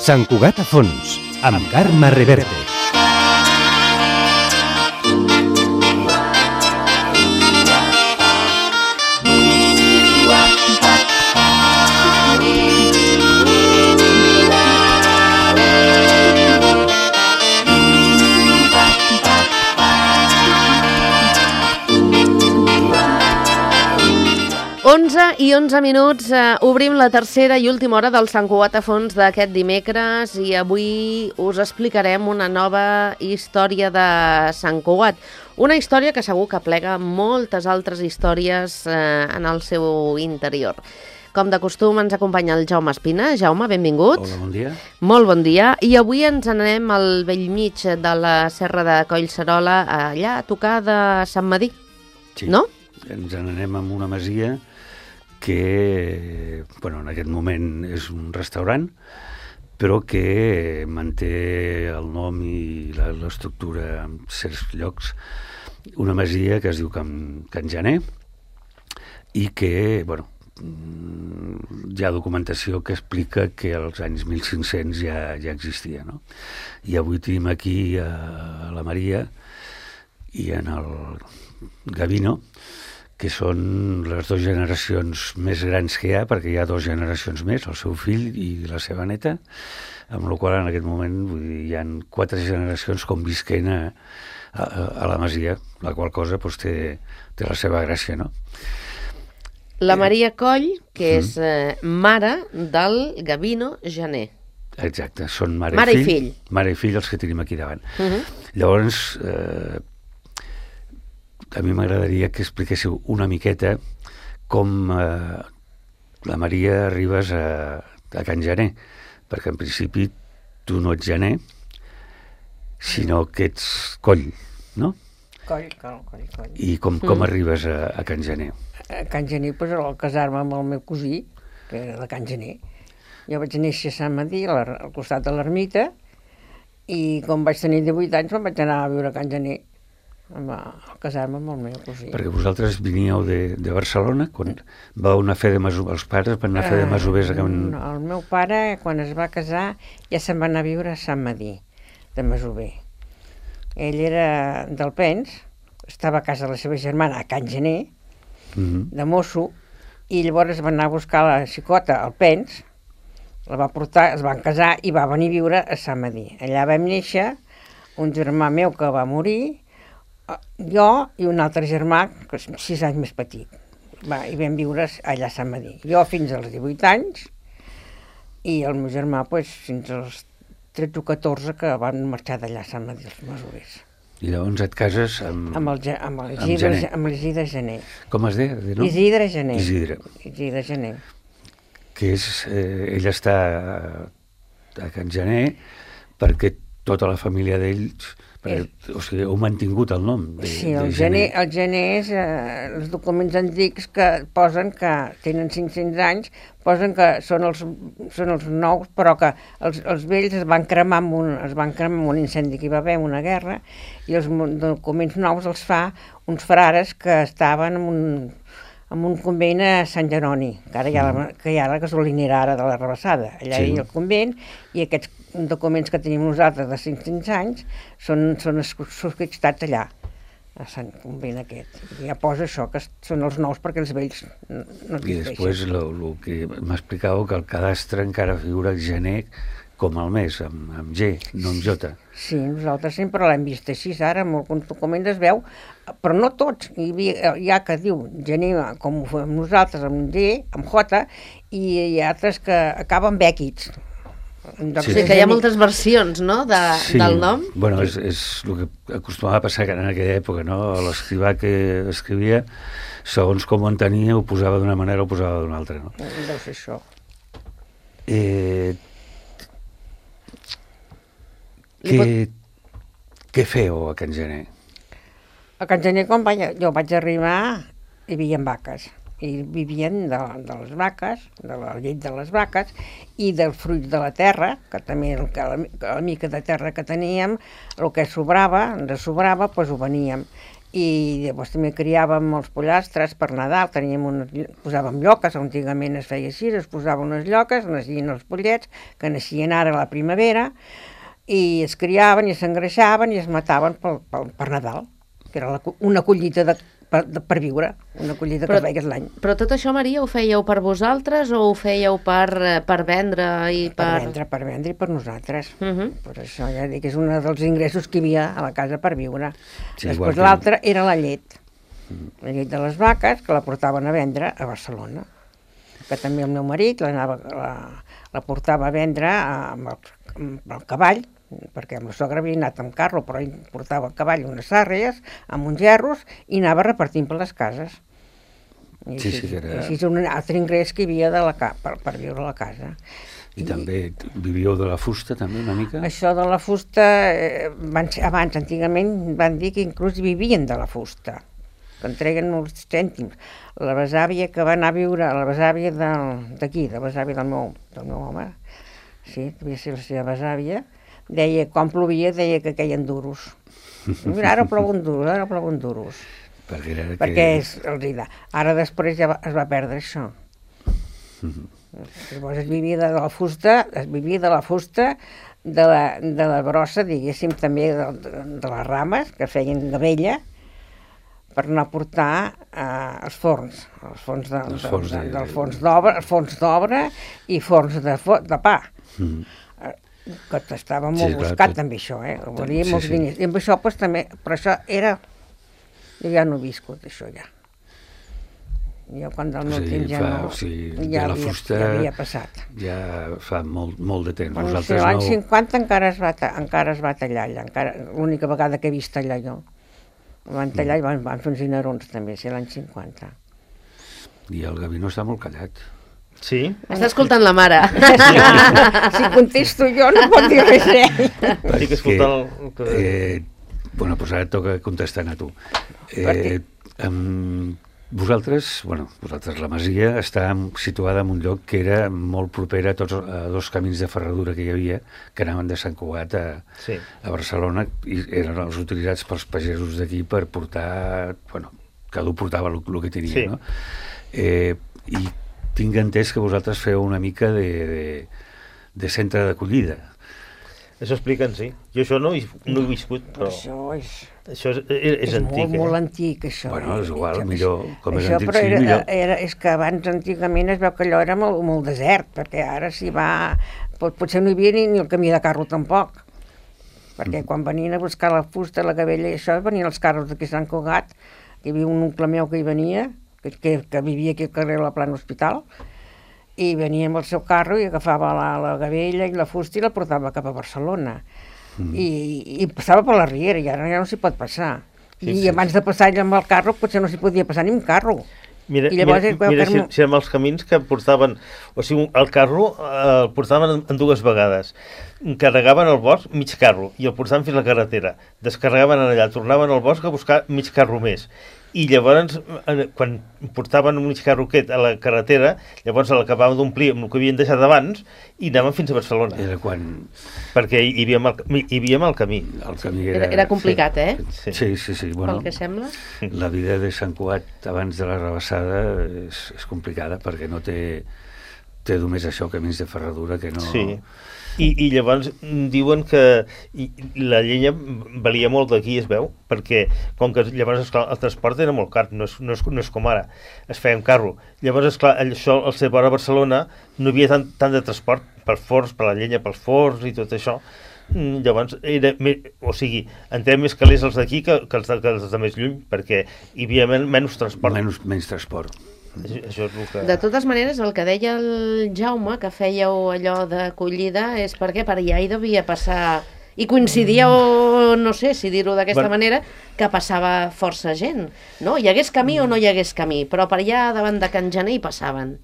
Sant Cugat a fons, amb Carme Reverte. I 11 minuts, obrim la tercera i última hora del Sant Cugat a fons d'aquest dimecres i avui us explicarem una nova història de Sant Cugat. Una història que segur que plega moltes altres històries en el seu interior. Com de costum ens acompanya el Jaume Espina. Jaume, benvingut. Hola, bon dia. Molt bon dia. I avui ens anem al bell mig de la Serra de Collserola, allà a tocar de Sant Medir, sí. No? Ens n'anem amb una masia que, en aquest moment és un restaurant, però que manté el nom i l'estructura en certs llocs. Una masia que es diu Can Janer i que, hi ha documentació que explica que als anys 1500 ja existia, no? I avui tenim aquí a la Maria i en el Gavino, que són les dues generacions més grans que hi ha, perquè hi ha dues generacions més, el seu fill i la seva neta, amb la qual en aquest moment hi ha 4 generacions convisquent a la masia, la qual cosa té la seva gràcia, no? La Maria Coll, que és mare del Gavino Janer. Exacte, són mare i fill. Mare i fill els que tenim aquí davant. Llavors, a mi m'agradaria que expliquéssiu una miqueta com la Maria arribes a Can Janer, perquè en principi tu no ets Janer, sinó que ets Coll, no? Coll. I com arribes a Can Janer? A Can Janer, al casar-me amb el meu cosí, que era de Can Janer. Jo vaig néixer a Sant Medir, al costat de l'ermita, i quan vaig tenir 18 anys me'n vaig anar a viure a Can Janer, a casar-me amb el meu cosí. Perquè vosaltres veníeu de Barcelona, quan vau anar a fer de masovers, els pares van anar a fer de masovers a Can... No, el meu pare, quan es va casar, ja se'n va anar a viure a Sant Medir, de masover. Ell era d'Alpens, estava a casa de la seva germana, a Can Janer, de mosso, i llavors va anar a buscar la xicota a Alpens, la va portar, es van casar i va venir a viure a Sant Medir. Allà vam néixer, un germà meu que va morir, jo i un altre germà, que és 6 anys més petit. I vam viure allà a Sant Medir. Jo fins als 18 anys i el meu germà fins als 13 o 14 que van marxar d'allà a Sant Medir, els masovers. I llavors et cases amb l'Isidre Janer. Com es deia? No? Isidre Janer. Isidre Janer. Que ell està a Can Janer perquè tota la família d'ells... O sigui, heu mantingut el nom sí, el Janer és els documents antics que posen que tenen 500 anys, posen que són els nous, però que els vells es van cremar amb un incendi que hi va haver, una guerra, i els documents nous els fa uns frares que estaven en un convent a Sant Jeroni, que ara hi ha la gasolinera ara de la Rebassada. Allà hi ha el convent, i aquests documents que tenim nosaltres de 500 anys són subscriptats allà, a Sant Convent aquest. I ja posa això, que són els nous perquè els vells no existeixen. I després el que m'explicàveu, que el cadastre encara figura el Janer com el mes, amb G, no amb J. Sí, nosaltres sempre l'hem vist així, ara en alguns documents es veu, però no tots. Hi ha que diu Janer, com ho fem nosaltres, amb G, amb J, i hi ha altres que acaben amb èquits. Sí, que hi ha moltes versions, no?, del nom. Bueno, és el que acostumava a passar en aquella època, no? L'escrivà que escrivia, segons com ho entenia, ho posava d'una manera o ho posava d'una altra, no? Deu ser això. Què feu a Can Janer? A Can Janer, quan jo vaig arribar, hi havia vaques. I vivien de les vaques, de la llet de les vaques i del fruit de la terra, que també la mica de terra que teníem, el que ens sobrava, doncs ho veníem. i llavors també criàvem els pollastres per Nadal, posàvem lloques, antigament es feia així, es posaven unes lloques, naixien els pollets, que naixien ara a la primavera, i es criaven i s'engreixaven i es mataven per Nadal, que era una collita per viure, una collita que es feies l'any. Però tot això, Maria, ho fèieu per vosaltres o ho fèieu per vendre i Per vendre i per nosaltres. Per això ja dic que és un dels ingressos que hi havia a la casa per viure. Sí, després l'altre era la llet. La llet de les vaques, que la portaven a vendre a Barcelona. Que també el meu marit la portava a vendre amb el cavall, perquè amb la sogra havia anat amb carro, però ell portava a cavall unes sàrries amb uns gerros i anava repartint per les cases. I així és un altre ingrés que hi havia per viure a la casa. I també vivíeu de la fusta, també, una mica? Això de la fusta, abans, antigament, van dir que inclús vivien de la fusta, que entreguen uns cèntims. La besàvia que va anar a viure, la besàvia d'aquí, la besàvia del meu home, sí, devia ser la seva besàvia, deia, quan plovia, deia que queien duros. Mira, ara plouen duros. Perquè ara després ja es va perdre això. Llavors es vivia de la fusta, de la brossa, diguéssim, també de les rames, que feien de vella, per anar a portar als forns, forns d'obra i forns de pa. Que estava molt buscat també això, valia molts diners. I amb això també, però això era... Jo ja no he viscut això ja. Jo quan del meu temps ja no... Ja havia passat. Ja fa molt de temps. L'any 50 encara es va tallar allà, l'única vegada que he vist tallar jo. Van tallar i van fer uns dinerons també, l'any 50. I el Gavino està molt callat. Sí? Està escoltant la mare. Si contesto jo no pot dir res Estic escoltant bueno, doncs ara et toca contestant a tu. Vosaltres, la masia està situada en un lloc que era molt proper a dos camins de ferradura que hi havia, que anaven de Sant Cugat a Barcelona, i eren els utilitzats pels pagesos d'aquí per portar, cada un portava el que tenia, no? I tinc entès que vosaltres feu una mica de centre d'acollida. Això expliquen, sí. Jo això no he viscut, però... Això és antic. Molt antic, això. Bueno, és igual, millor, com és antic, sí, millor. És que abans, antigament, es veu que allò era molt desert, perquè ara s'hi va... Potser no hi havia ni el camí de carro tampoc, perquè quan venien a buscar la fusta, la gavella i això, venien els carros d'aquí a Sant Cugat, hi havia un oncle meu que hi venia, que vivia aquí al carrer de la Plana Hospital, i venia amb el seu carro i agafava la gavella i la fusta i la portava cap a Barcelona. I passava per la riera, i ara ja no s'hi pot passar. I abans de passar amb el carro potser no s'hi podia passar ni amb carro. Mira si amb els camins que portaven, o sigui, el carro el portaven en dues vegades. Carregaven el bosc mig carro i el portaven fins a la carretera. Descarregaven allà, tornaven al bosc a buscar mig carro més. I llavors, quan portaven un mig carro aquest a la carretera, llavors l'acabaven d'omplir amb el que havien deixat abans i anaven fins a Barcelona. Era quan... Perquè hi havia mal camí. El camí era complicat, Sí. Pel que sembla. La vida de Sant Cugat abans de la rebassada és complicada perquè no té només això, camins de ferradura que no... Sí. I llavors diuen que la llenya valia molt d'aquí, es veu, perquè com que llavors esclar, el transport era molt car, no és com ara, es feia amb carro. Llavors, esclar, això al ser vora Barcelona no hi havia tant de transport per forns, per la llenya, pels forns i tot això. Llavors, entrem més calés els d'aquí que els de més lluny, perquè hi havia menys transport. Menys transport. Això és el que... De totes maneres, el que deia el Jaume, que fèieu allò d'acollida, és perquè per allà hi devia passar... I coincidia, o no sé si dir-ho d'aquesta manera, que passava força gent, no? Hi hagués camí o no hi hagués camí, però per allà davant de Can Gener hi passaven.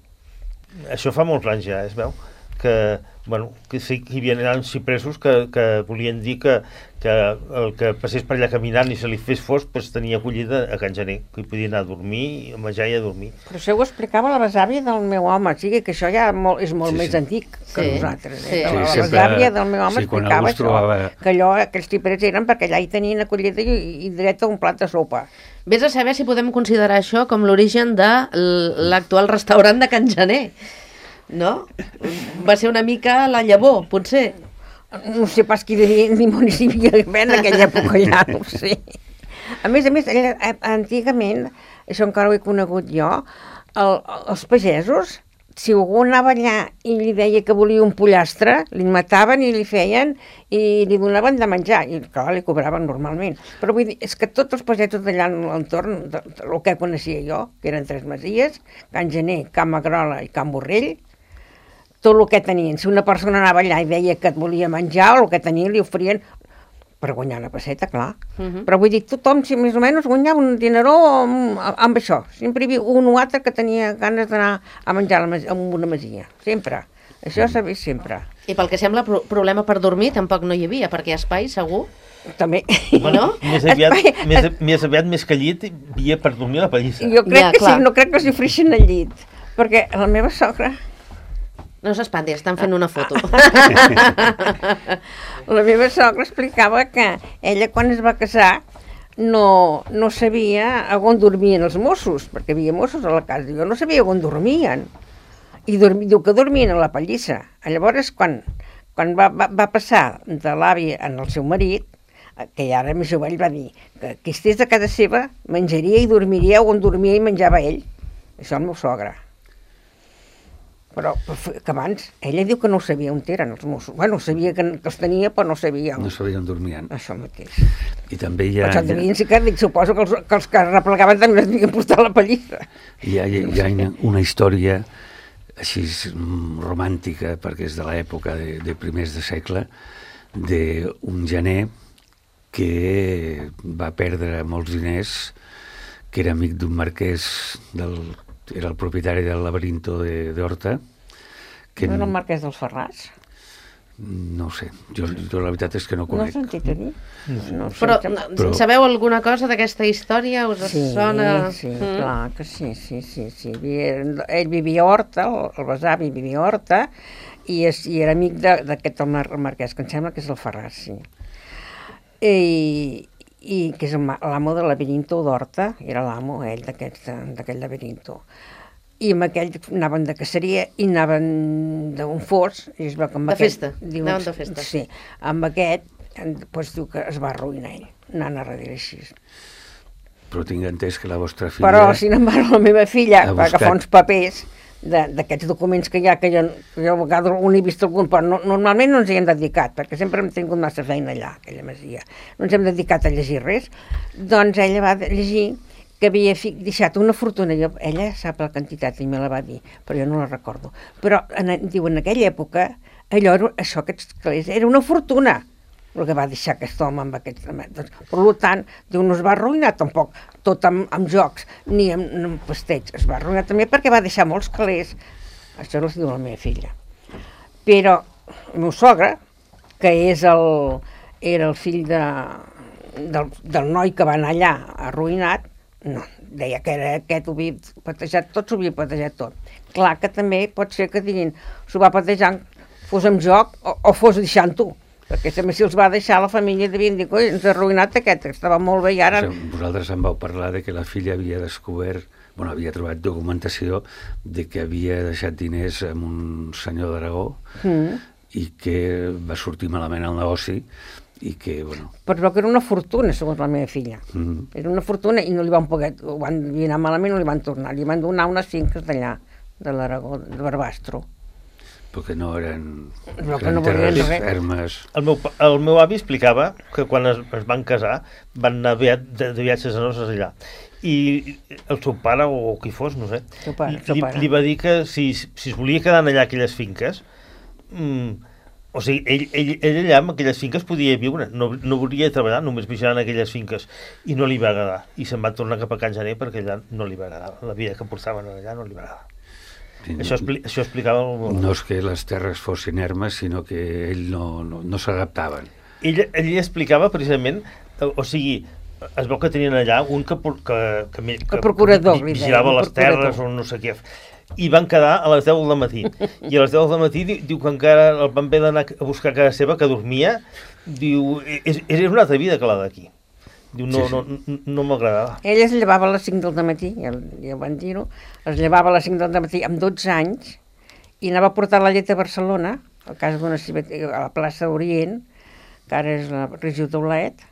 Això fa molts anys ja, es veu. que sí que hi havia cipressos que volien dir que el que passés per allà caminant i se li fes fosc pues, tenia acollida a Can Gener, que hi podia anar a dormir, a menjar i a dormir. Però això ho explicava la besàvia del meu home, o sigui que això ja és molt més antic que nosaltres. Sí. La besàvia del meu home explicava això, que allò, aquells ciprers eren perquè allà hi tenien acollida i dret a un plat de sopa. Vés a saber si podem considerar això com l'origen de l'actual restaurant de Can Gener, no? Va ser una mica la llavor, potser. No sé pas qui devia, ni municipi hi havia en aquella època allà, no ho sé. A més, antigament, això encara ho he conegut jo, els pagesos, si algú anava allà i li deia que volia un pollastre, li mataven i li feien i li donaven de menjar, i clar, li cobraven normalment. Però vull dir, és que tots els pagesos d'allà a l'entorn, el que coneixia jo, que eren 3 masies, Can Gener, Can Magrola i Can Borrell, tot el que tenien. Si una persona anava allà i deia que et volia menjar, o el que tenien li oferien per guanyar una pesseta, clar. Però vull dir, tothom, si més o menys, guanyava un dineró amb això. Sempre hi havia un o altre que tenia ganes d'anar a menjar en una masia. Sempre. Això s'ha vist sempre. I pel que sembla, problema per dormir tampoc no hi havia, perquè espai, segur. També. No? Més aviat, més que al llit, hi havia per dormir a la pallissa. Jo crec que sí, no crec que s'hi ofereixin al llit. Perquè la meva sogra... No s'espanti, estan fent una foto. La meva sogra explicava que ella, quan es va casar, no sabia on dormien els Mossos, perquè hi havia Mossos a la casa. Jo no sabia on dormien. I diu que dormien a la pallissa. Llavors, quan va passar de l'avi al seu marit, que ja era més jove, ell va dir que qui estés a casa seva menjaria i dormiria on dormia i menjava ell. Això el meu sogre. Però que abans, ella diu que no sabia on eren els Mossos. Bueno, sabia que els tenia, però no sabia. No sabia on dormien. Això mateix. I també hi ha... Però devien ser que, suposo que els que replegaven també es devien portar a la pallissa. Hi ha una història així romàntica, perquè és de l'època de primers de segle, d'un gener que va perdre molts diners, que era amic d'un marquès era el propietari del laberinto d'Horta. No era el marquès dels Ferrars? No ho sé, jo la veritat és que no conec. No has sentit a dir? No, però sabeu alguna cosa d'aquesta història? Us sona? Sí, clar que sí. Ell vivia a Horta, el besavi vivia a Horta, i era amic d'aquest marquès, que em sembla que és el Ferrars, sí. I que és l'amo del laberinto d'Horta, era l'amo, ell, d'aquell laberinto. I amb aquell anaven de caceria i anaven d'un fos. De festa, anaven de festa. Sí, amb aquest, doncs diu que es va arruïnar ell, anant a darrere així. Però tinc entès que la vostra filla... Però, sin embargo, la meva filla va agafar uns papers d'aquests documents que hi ha, que jo a vegades un he vist algun, però normalment no ens hi hem dedicat, perquè sempre hem tingut massa feina allà, aquella masia. No ens hem dedicat a llegir res. Doncs ella va llegir que havia deixat una fortuna. Ella sap la quantitat i me la va dir, però jo no la recordo. Però diu, en aquella època, aquests calés, era una fortuna el que va deixar aquest home amb aquests... Per tant, diu, no es va arruïnar tampoc tot amb jocs ni amb festeig. Es va arruïnar també perquè va deixar molts calés. Això els diu la meva filla. Però el meu sogre, que era el fill del noi que va anar allà arruïnat, no, deia que era aquest, ho havia patejat tot, s'ho havia patejat tot. Clar que també pot ser que diguin, s'ho va patejant, fos amb joc o fos deixant-ho. Perquè si els va deixar, la família devien dir, coi, ens ha arruïnat aquest, que estava molt bé i ara... Vosaltres em vau parlar de que la filla havia descobert, havia trobat documentació de que havia deixat diners amb un senyor d'Aragó i que va sortir malament al negoci i que, Però que era una fortuna, segons la meva filla. Era una fortuna i no li van poder... Van anar malament, no li van tornar. Li van donar unes finques d'allà, de l'Aragó, de Barbastro. Perquè no eren terres fermes. El meu avi explicava que quan es van casar van anar de viatges a noces allà. I el seu pare, o qui fos, no sé, li va dir que si es volia quedar allà aquelles finques, o sigui, ell allà amb aquelles finques podia viure, no volia treballar, només vigilant aquelles finques, i no li va agradar. I se'n va tornar cap a Can Gener perquè allà no li va agradar. La vida que portaven allà no li va agradar. Això explicava... No és que les terres fossin ermes, sinó que ell no s'adaptaven. Ell explicava precisament, o sigui, es veu que tenien allà un que procurador, vigilava les terres o no sé què, i van quedar a les 10 del matí. I a les 10 del matí diu que encara el van haver d'anar a buscar a casa seva, que dormia. Diu, és una altra vida que la d'aquí. Diu, no m'agradava. Ell es llevava a les 5 del matí, ja ho van dir-ho, es llevava a les 5 del matí amb 12 anys i anava a portar la llet a Barcelona, a casa d'una a la plaça Orient, que ara és la regió d'Olet,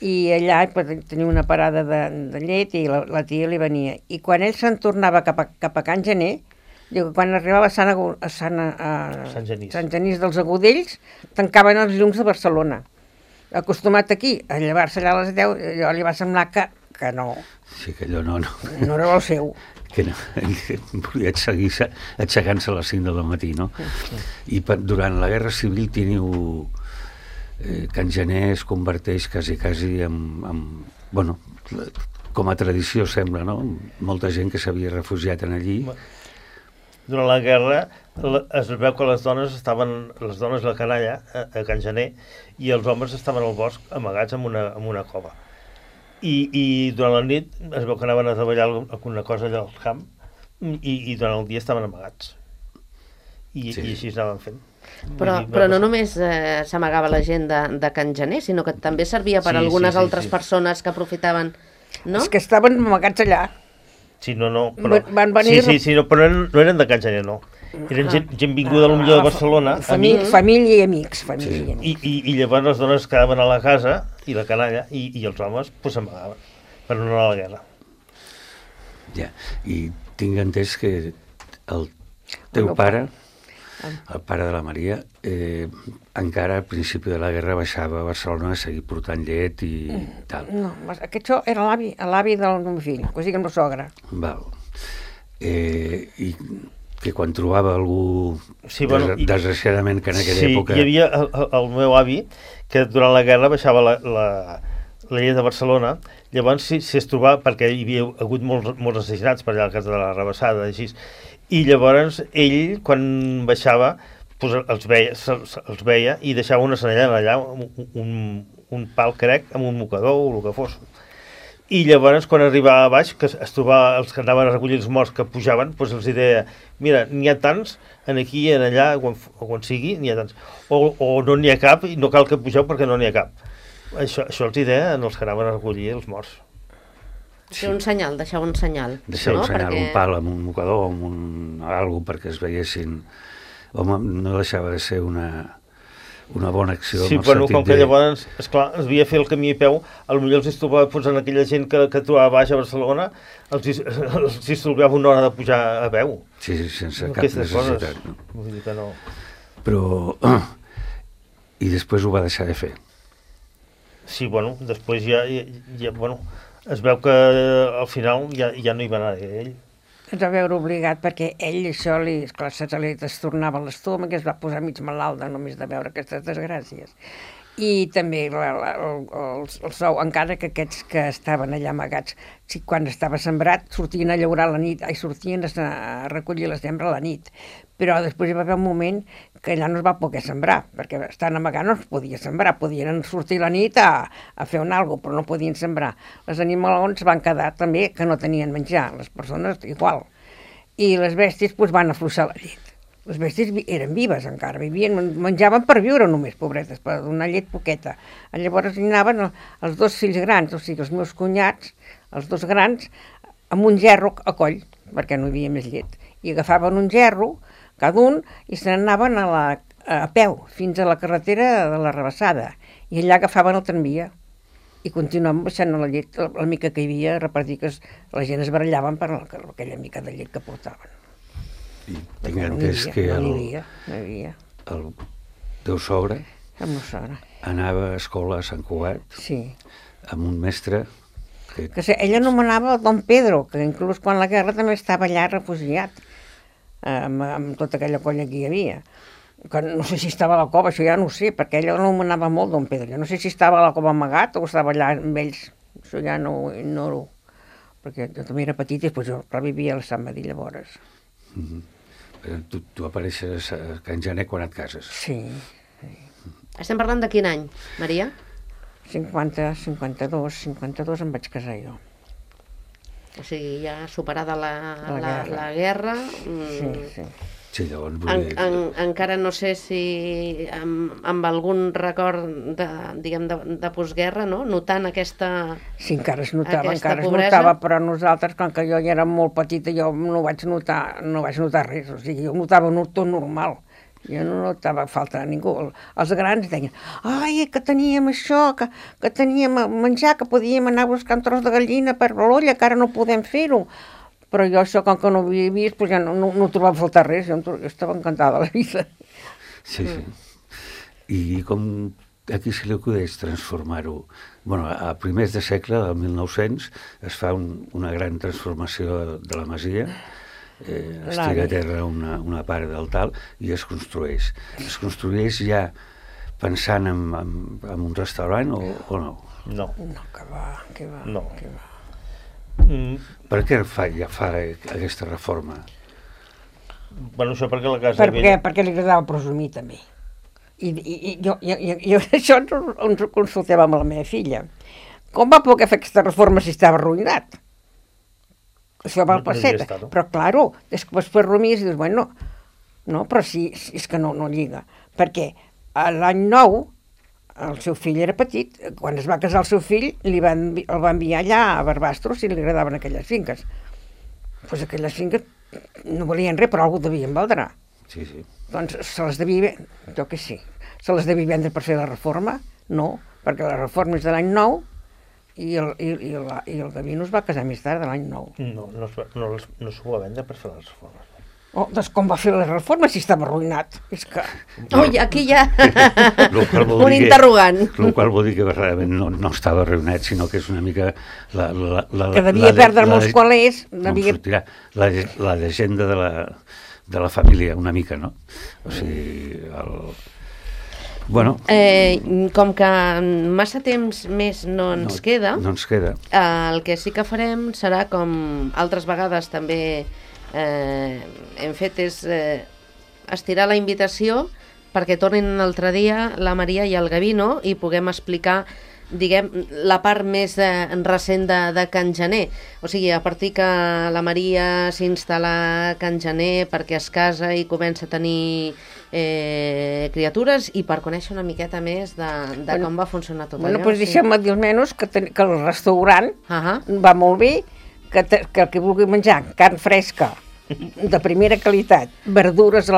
i allà tenia una parada de llet i la tia li venia. I quan ell se'n tornava cap a Can Gener, diu que quan arribava a Sant Genís dels Agudells, tancaven els llums de Barcelona. Acostumat aquí a llevar-se allà a les 10, allò li va semblar que no. Sí, que allò no. No era el seu. Que no, volia seguir aixecant-se a les 5 del matí, no? I durant la Guerra Civil teniu... Can Gener es converteix quasi en bueno, com a tradició sembla, no? Molta gent que s'havia refugiat en allí. Durant la guerra es veu que les dones de la canalla a Can Gener i els homes estaven al bosc amagats en una cova. I durant la nit es veu que anaven a treballar alguna cosa allà al camp i durant el dia estaven amagats. I així anaven fent. Però no només s'amagava la gent de Can Gener, sinó que també servia per algunes altres persones que aprofitaven, no? Els que estaven amagats allà. Sí, no, però... Van venir... Sí, però no eren de Can Gener, no. Eren gent vinguda a millor de Barcelona. Família i amics. I llavors les dones quedaven a la casa, i la canalla, i els homes s'amagaven per no anar a la guerra. Ja, i tinc entès que el teu pare... El pare de la Maria, encara al principi de la guerra baixava a Barcelona a seguir portant llet i tal. No, això era l'avi del meu fill, o sigui, el meu sogre. Val. I que quan trobava algú, desgraciadament, que en aquella època... Sí, hi havia el meu avi, que durant la guerra baixava la llet de Barcelona, llavors si es trobava, perquè hi havia hagut molts assassinats per allà al cas de la Rabassada, així. I llavors ell, quan baixava, els veia i deixava una senellana allà, un pal crec, amb un mocador o el que fos. I llavors, quan arribava a baix, que es trobava els que anaven a recollir els morts que pujaven, doncs els deia, mira, n'hi ha tants, aquí i allà, on sigui, n'hi ha tants. O no n'hi ha cap i no cal que pugeu perquè no n'hi ha cap. Això els deia als que anaven a recollir els morts. Sí. Un senyal, deixar un senyal. Deixar un senyal, un pal amb un mocador, amb algo perquè es veiessin... Home, no deixava de ser una bona acció. Sí, però com que llavors, esclar, es havia fet el camí a peu, potser els trobava en aquella gent que trobava baix a Barcelona, els trobava una hora de pujar a peu. Sí, sense cap necessitat. No? Vull dir que no. Però... I després ho va deixar de fer. Sí, bueno, després ja es veu que al final ja no hi va anar ell. Es va veure obligat perquè ell això se li trastornava l'estómac, es va posar mig malalt només de veure aquestes desgràcies. I també el sou, encara que aquests que estaven allà amagats, quan estava sembrat, sortien a llaurar a la nit, sortien a recollir la sembra a la nit. Però després hi va haver un moment que allà no es va poder sembrar, perquè estant amagant no es podia sembrar, podien sortir a la nit a fer un algo, però no podien sembrar. Les animalons van quedar també que no tenien menjar, les persones igual. I les bèsties van afluixar la llet. Les bèsties eren vives encara, menjaven per viure només, pobretes, per donar llet poqueta. Llavors hi anaven els dos fills grans, o sigui, els meus cunyats, els dos grans, amb un gerro a coll, perquè no hi havia més llet. I agafaven un gerro, cada un, i se n'anaven a peu, fins a la carretera de la Rabassada. I allà agafaven el tramvia. I continuaven baixant la llet, la mica que hi havia, a repartir que la gent es barallaven per aquella mica de llet que portaven. I tinc entès que el teu sogre anava a escola a Sant Cugat amb un mestre que ell anomenava Don Pedro, que inclús quan la guerra també estava allà refugiat amb tota aquella colla que hi havia, que no sé si estava a la cova, això ja no ho sé, perquè ell anomenava molt Don Pedro, no sé si estava a la cova amagat o estava allà amb ells, això ja no ho ignoro, perquè jo també era petit i després jo revivia a la Sant Madí llavors. Tu apareixes a Can Gener quan et cases. Sí, Estem parlant de quin any, Maria? 52 em vaig casar jo. O sigui, ja superada La la guerra. Sí. Sí, llavors vull dir... Encara no sé si amb algun record de postguerra, no? Notant aquesta... Sí, encara es notava, pobresa. Però nosaltres, com que jo ja era molt petita, jo no vaig notar res, o sigui, jo notava tot normal. Jo no notava falta de ningú. Els grans deien, ai, que teníem això, que teníem a menjar, que podíem anar a buscar un tros de gallina per l'olla, que ara no podem fer-ho. Però jo això, com que no ho havia vist, doncs ja no trobava faltar res, jo estava encantada de la vida. Sí. I com aquí se li acudeix transformar-ho? Bueno, a primers de segle, del 1900, es fa una gran transformació de la masia, es tira a terra una part del tal i es construeix. Es construeix ja pensant en un restaurant o no? No. No, que va. No. Que va. Per què fa aquesta reforma? Bueno, això perquè la casa vella... Perquè li agradava presumir, també. I jo això ens ho consultàvem amb la meva filla. Com va poder fer aquesta reforma si estava arruïnat? Això va al passet. Però, claro, després rumies i dius, bueno, no, però sí, és que no lliga. Perquè l'any 9, el seu fill era petit, quan es va casar el seu fill, el va enviar allà a Barbastros si li agradaven aquelles finques. Doncs aquelles finques no valien res, però algú devien valdre. Sí. Doncs se les devia, jo que sí, se les devia vendre per fer la reforma? No, perquè la reforma és de l'any 9 i el Gavino es va casar més tard, de l'any 9. No s'ho va vendre per fer les reformes. Oh, doncs com va fer la reforma si estava arruïnat? És que... Ui, aquí hi ha un interrogant. El qual vol dir que realment no estava arruïnat, sinó que és una mica... que devia perdre molts qualers. La llegenda de la família, una mica, no? O sigui, Bueno... com que massa temps més no ens queda, el que sí que farem serà, com altres vegades també hem fet, és estirar la invitació perquè tornin un altre dia la Maria i el Gavino i puguem explicar, diguem, la part més recent de Can Gener. O sigui, a partir que la Maria s'instal·la a Can Gener perquè es casa i comença a tenir criatures i per conèixer una miqueta més de com va funcionar tot allò. Doncs deixem-me dir almenys que el restaurant va molt bé, que el que vulgui menjar carn fresca de primera qualitat, verdures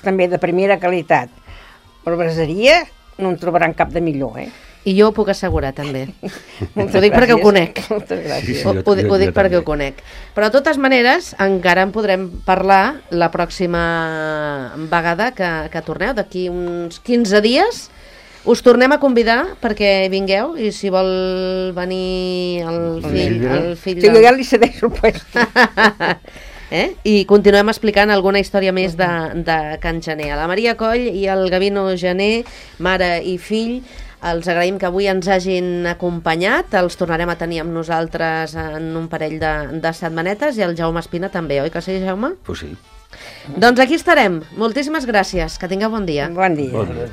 també de primera qualitat, però braseria no en trobaran cap de millor, I jo ho puc assegurar, també. Ho dic perquè ho conec. Moltes gràcies. Ho dic perquè ho conec. Però, de totes maneres, encara en podrem parlar la pròxima vegada que torneu, d'aquí uns 15 dies. Us tornem a convidar perquè vingueu i si vol venir el fill jo ja li cedeixo el puesto. I continuem explicant alguna història més de Can Gener. A la Maria Coll i el Gavino Gener, mare i fill, els agraïm que avui ens hagin acompanyat. Els tornarem a tenir amb nosaltres en un parell de setmanetes i el Jaume Espina també, oi que sí, Jaume? Pues sí. Doncs aquí estarem. Moltíssimes gràcies. Que tingueu bon dia. Bon dia. Bon dia.